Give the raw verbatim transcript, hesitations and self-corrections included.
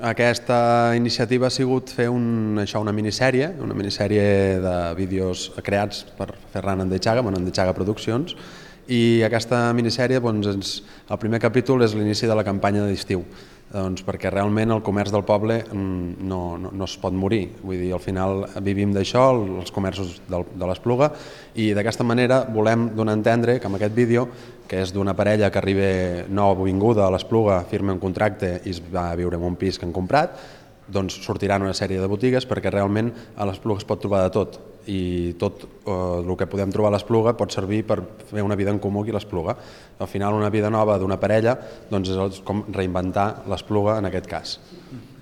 Aquesta iniciativa ha sigut fer un, això, una minissèrie, una minissèrie de vídeos creats per Ferran Andetxaga, bueno, Andetxaga Produccions, i aquesta minissèrie, doncs, ens, el primer capítol és l'inici de la campanya d'estiu, doncs, perquè realment el comerç del poble no, no, no es pot morir, vull dir, al final vivim d'això, els comerços del, de l'Espluga, i d'aquesta manera volem donar a entendre que amb aquest vídeo, que és d'una parella que arriba nouvinguda a l'Espluga, firma un contracte i es va a viure en un pis que han comprat, doncs sortiran una sèrie de botigues perquè realment a l'Espluga es pot trobar de tot i tot eh, el que podem trobar a l'Espluga pot servir per fer una vida en comú aquí a l'Espluga. Al final una vida nova d'una parella doncs és com reinventar l'Espluga en aquest cas.